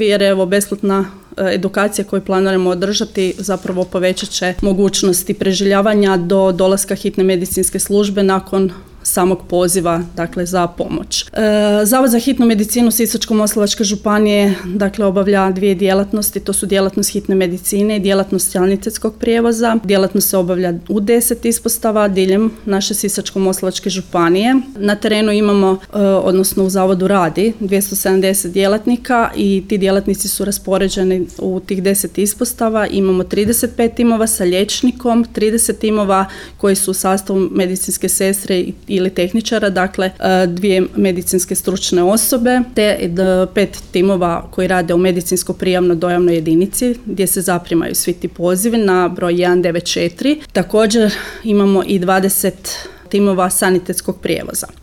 Jer evo besplatna edukacija koju planiramo održati zapravo povećat će mogućnosti preživljavanja do dolaska hitne medicinske službe nakon samog poziva, dakle, za pomoć. Zavod za hitnu medicinu Sisačko-moslavačke županije, dakle, obavlja dvije djelatnosti, to su djelatnost hitne medicine i djelatnost sanitetskog prijevoza. Djelatnost se obavlja u 10 ispostava diljem naše Sisačko-moslavačke županije. Na terenu imamo, odnosno u zavodu radi 270 djelatnika i ti djelatnici su raspoređeni u tih 10 ispostava. Imamo 35 timova sa liječnikom, 30 timova koji su u sastavu medicinske sestre ili tehničara, dakle 2 medicinske stručne osobe, te 5 timova koji rade u medicinsko-prijavno-dojavnoj jedinici gdje se zaprimaju svi ti pozivi na broj 194. Također imamo i 20 timova sanitetskog prijevoza.